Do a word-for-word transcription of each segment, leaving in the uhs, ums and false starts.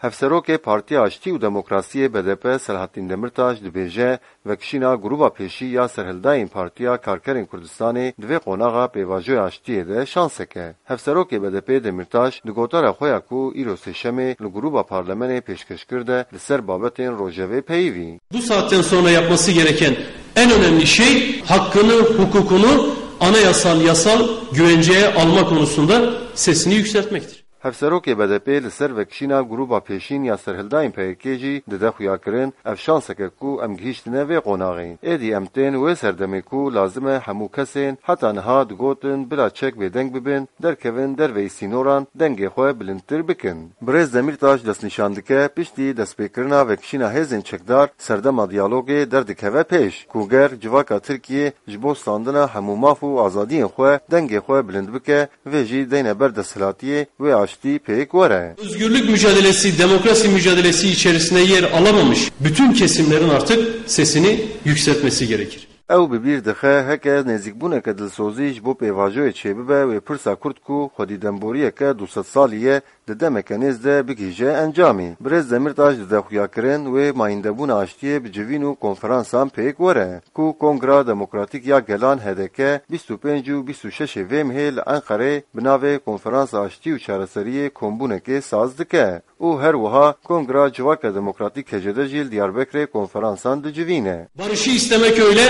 Hevserokê Partiya Aştî û Demokrasiyê B D P Selahattin Demirtaş dibêje, vekişîna grûba pêşî ya serhildayên Partiya Karkerên Kurdistanê di vê qonaxa pêvajoya aştiyê de şansek e. Hevserokê B D P Demirtaş di gotara xwe ya ku îro sêşemê li grûba parlamenê pêşkeş kir de li ser babetên rojevê peyivî. Bu saatten sonra yapması gereken en önemli şey hakkını, hukukunu anayasal, yasal güvenceye alma konusunda sesini yükseltmektir. Hevserokê B D P li ser vekişîna grûba pêşîn ya serhildayên P Y K jî dide xuyakirin, ev şansek e ku em gihîştine vê qonaxê. Êdî em tên wê serdemê ku lazim e hemû kesên heta niha digotin bila çek bêdeng bibin, derkevin derveyî sînoran dengê xwe bilindtir bikin. Birêz Demîrtaş destnîşan dike, piştî destpêkirina vekişîna hêzên çekdar, serdema diyalogê derdikeve pêş, ku ger civaka Tirkiyê ji bo standina hemû maf û azadiyên xwe dengê xwe bilind bike, vê jî deyne ber desthilatiyê, wê aştî pêk were. Özgürlük mücadelesi, demokrasi mücadelesi içerisinde yer alamamış bütün kesimlerin artık sesini yükseltmesi gerekir. Ew bi bîr dixe, heke nêzîkbûneke dilsozî ji bo pêvajoyê çêbibe, wê pirsa kurt ku xwedî demboriyeke du sed salî ye, di demeke nêz de bigihîje encamê. Birêz Demîrtaş dide xuyakirin, wê mayîndebûna aştiyê bi civîn û konferansan pêk were, ku Kongra Demokratîk ya Gelan H D K bîst û pênc û bîst û şeş ê vê mehê li Enqerê bi navê Konferansa Aştî û Çareseriyê kombûnekê saz dike. Û her wiha Kongra Civaka Demokratîk K C D jî li Diyarbekirê konferansan dicivîne. Barışı istemek öyle,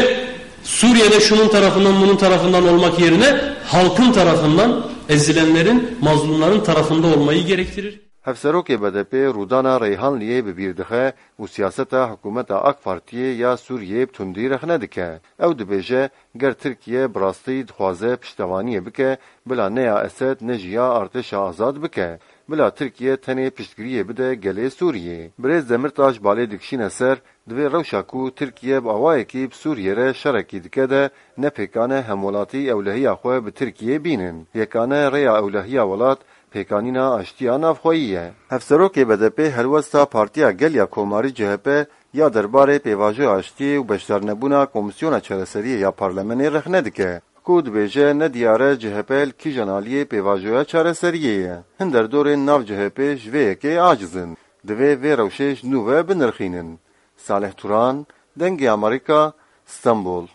Suriye'de şunun tarafından, bunun tarafından olmak yerine halkın tarafından, ezilenlerin, mazlumların tarafında olmayı gerektirir. Hevserokê B D P Rûdana Reyhanliyê bi bîr dixe û siyaseta hikûmeta AK Partiyê ya Sûriyê bi tundî rexne dike. Ew dibêje, ger Tirkiye bi rastî dixwaze piştevaniyê bike, bila ne ya Esed ne jî ya artêşa azad bike. Bila Tirkiye tenê piştgiriyê bide gelê Sûriyê. Birêz Demirtaş balê dikişîne ser, divê rewşa ku Tirkiye bi awayekî bi Sûriyê re şerekî dike de ne pêkan e hemwelatî ewlehiya xwe bi Tirkiyê bînin. Yekane rêya ewlehiya welat pêkanîna aştiya navxweyî ye. Hevserokê B D P helwesta Partiya Gel ya Komarî C H P ya derbarê pêvajoya aştiyê û beşdarnebûna Komîsyona Çareseriyê ya Parlamenê rexne dike, ku dibêje ne diyar e C H P li kîjan aliyê pêvajoya çareseriyê ye. Hin derdorên nav C H P ji vê yekê aciz in. Divê vê rewşê ji nû ve binirxînin. Salih Turan, Dengê Amerîka, Stenbol.